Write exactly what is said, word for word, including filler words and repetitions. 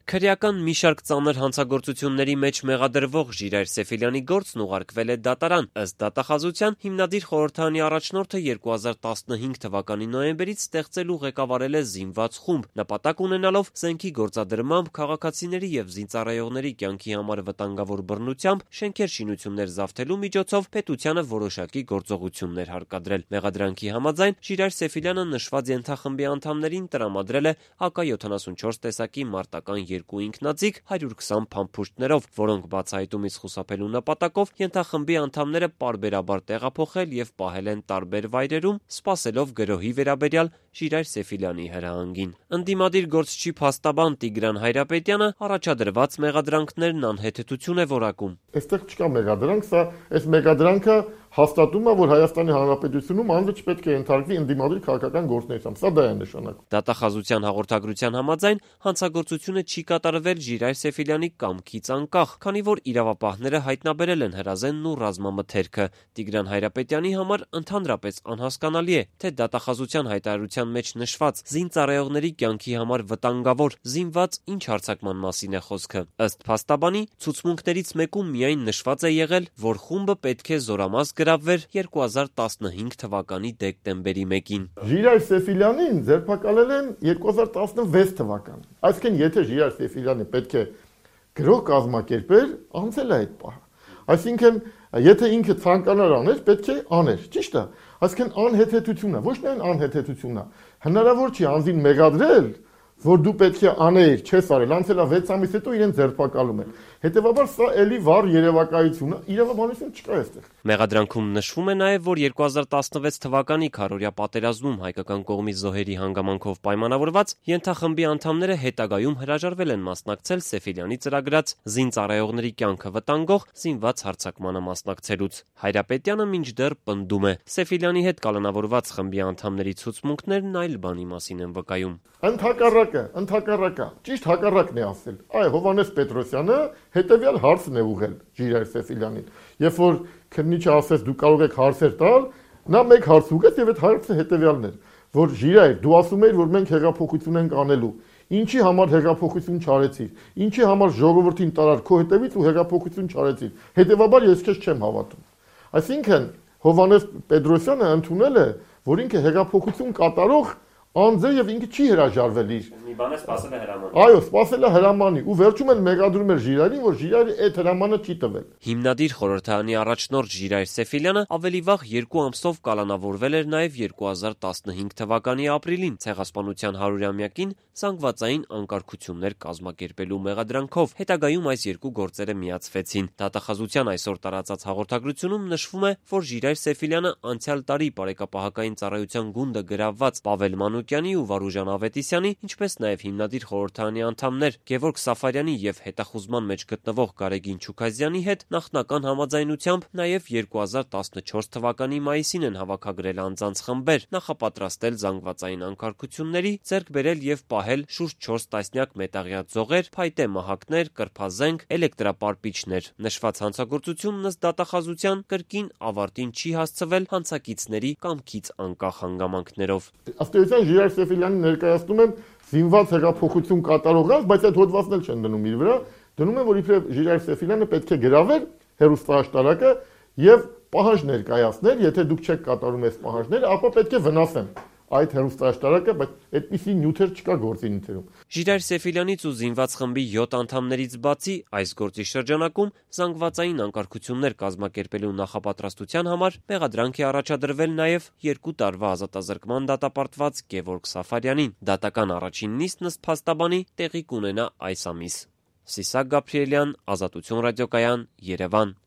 Քրեական մի շարք ծանր հանցագործությունների մեջ մեղադրվող Ժիրայր Սեֆիլյանի գործն ուղարկվել է դատարան։ Ըստ դատախազության, հիմնադիր խորհրդարանի առաջնորդը երկու հազար տասնհինգ թվականի նոյեմբերից ստեղծել ու ղեկավարել է զինված խումբ, նպատակ ունենալով զենքի գործադրմամբ, քաղաքացիների եւ զինծառայողների կյանքի համար վտանգավոր բռնությամբ, շենքեր շինություններ զավթելու միջոցով պետությանը որոշակի գործողություններ հարկադրել։ Մեղադրանքի համաձայն Ժիրայր Սեֆիլյանը նշված ենթախմբի անդամներին տրամադրել է ա կա յոթանասունչորս տեսակի մարտական երկու ինքնաձիգ հարյուր քսան փամփուշտներով, որոնք բացահայտումից խուսափելու նպատակով ենթախմբի անդամները պարբերաբար տեղափոխել եւ պահել են տարբեր վայրերում, սպասելով գրոհի վերաբերյալ Ժիրայր Սեֆիլյանի հրահանգին։ Ընդդիմադիր գործչի փաստաբան Տիգրան Հայրապետյանը առաջադրված մեղադրանքներն անհեթեթություն է որակում։ Այստեղ չկա մեղադրանք, սա այս մեղադրանքը հաստատում է, որ Հայաստանի Հանրապետությունում անձը չպետք է ենթարկվի ընդդիմադիր քաղաքական գործունեությամբ։ Սա դա է նշանակում։ Դատախազության հաղորդագրության համաձայն հանցագործությունը չի կատարվել Ժիրայր Սեֆիլյանի կամքից անկախ, քանի որ իրավապահները հայտնաբերել են հրազենն ու ռազմամթերքը։ Տիգրան Հայրապետյանի համար ընդհանրապես անհասկանալի է, թե դատախազության հայտարարության մեջ նշված զինծառայողների կյանքի համար վտանգավոր զինված ինչ հարձակման մասին է խոսքը։ Ըստ փաստաբանի, ցուցմունքներից մեկում միայն նշված է եղել, որ խումբը պետք է զորամաս գրավվեր երկու հազար տասնհինգ թվականի դեկտեմբերի մեկին։ Ժիրայր Սեֆիլյանին ձերբակալել են երկու հազար տասնվեց թվականին։ Այսինքն, եթե Ժիրայր Սեֆիլյանը պետք է գրող կազմակերպեր, անցել է այդ պահը։ Այսինքն, եթե ինքը ցանկանար աներ, պետք է աներ, ճիշտ է։ Այսինքն անհեթեթություն է, ոչ միայն անհեթեթություն է։ Հնարավոր չի անձին մեղադրել, որ դու պետք է աներ, չես արել, անցել է վեց ամիս հետո իրեն ձերբակալում են։ Հետևաբար սա էլի վառ երևակայություն է, իրավաբանություն չկա այստեղ։ Մեղադրանքում նշվում է նաև, որ երկու հազար տասնվեց թվականի քարորյա պատերազմում հայկական կողմի զոհերի հանգամանքով պայմանավորված ենթախմբի անդամները հետագայում հրաժարվել են մասնակցել Սեֆիլյանի ծրագրած զինծառայողների կյանքը վտանգող զինված հարձակմանը մասնակցելուց։ Հայրապետյանը մինչդեռ պնդում է, Սեֆիլյանի հետ կալանավորված խմբի անդամների ցուցմունքներն այլ բանի մասին են վկայում։ Ընդհակառակը, ընդհակառակը, ճիշտ հակառակն է ասել։ Այ Հովհաննես Պետրոսյանը հետևյալ հարցն է ուղղել Ժիրայր Սեֆիլյանին։ Երբ որ քննիչը ասեց դու կարող եք հարցեր տալ, նա մեկ հարց ուղղեց եւ այդ հարցը հետևյալն էր, որ Ժիրայր, դու ասում ես, որ մենք հեղափոխություն ենք անելու։ Ինչի համար հեղափոխություն չարեցիր։ Ինչի համար ժողովրդին տարար քո հետևից ու հեղափոխություն չարեցիր։ Հետևաբար ես քեզ չեմ հավատում։ Այսինքն Հովհաննես Պետրոսյանը ընդունել է, որ ինքը հեղափոխություն կատարող անձ է եւ ինքը չի հրաժարվել իր։ Մի բան է սпасել է հրամանը։ Այո, սпасել է հրամանի ու վերջում են մեղադրում էր Ժիրայրին, որ Ժիրայրը այդ հրամանը չի տվել։ Հիմնադիր խորհրդարանի առաջնորդ Ժիրայր Սեֆիլյանը ավելի վաղ երկու ամսով կալանավորվել էր նաև երկու հազար տասնհինգ թվականի ապրիլին ցեղասպանության հարյուրամյակին զանգվածային անկարգություններ կազմակերպելու մեղադրանքով։ Հետագայում այս երկու գործերը միացվեցին։ Դատախազության այսօր տարածած հաղորդագրությունում նշվում է, որ Ժիրայր Սեֆիլյանը անցյալ տարի բարեկապահական ծառայության գունդը գրավված Պավել Մանուկյանի ու Վարուժան Ավետիսյանի, ինչպես նաև հիմնադիր խորհրդարանի անդամներ Գևորգ Սաֆարյանի եւ հետախուզման մեջ գտնվող Գարեգին Չուքազյանի հետ նախնական համաձայնությամբ նաև երկու հազար տասնչորս թվականի մայիսին են հավաքագրել անձանց խմբեր, նախապատրաստել զանգվածային անկարգությունների, ձեռք բերել եւ պահել շուրջ չորս տասնյակ մետաղյա ձողեր, փայտե մահակներ, կրփազենք, էլեկտրապարպիչներ։ Նշված հանցագործությունն ըստ դատախազության կրկին ավարտին չի հասցվել հանցակիցների կամքից անկախ հանգամանքներով։ Ժիրայր Սեֆիլյանին ներկայացնում են զինված հեղափոխություն կատարողած, բայց այդ հոդվածն էլ չեն դնում իր վրա, դնում են, որ իբրև Ժիրայր Սեֆիլյանը պետք է գրավեր հեռուստաաշտարակը եւ պահանջ ներկայացներ, եթե դուք չեք կատարում այս պահանջները, ապա պետք է վնասեն այդ հեռուստաաշտարակը, բայց այդպիսի նյութեր չկա գործի նյութերում։ Ժիրայր Սեֆիլյանից ու զինված խմբի յոթ անդամներից բացի այս գործի շրջանակում զանգվածային անկարգություններ կազմակերպելու նախապատրաստության համար մեղադրանք է առաջադրվել նաև երկու տարվա ազատազրկման դատապարտված Գևորգ Սաֆարյանին։ Դատական առաջին նիստն ըստ փաստաբանի տեղի կունենա այս ամիս։ Սիսակ Գաբրիելյան, Ազատություն ռադիոկայան, Երևան։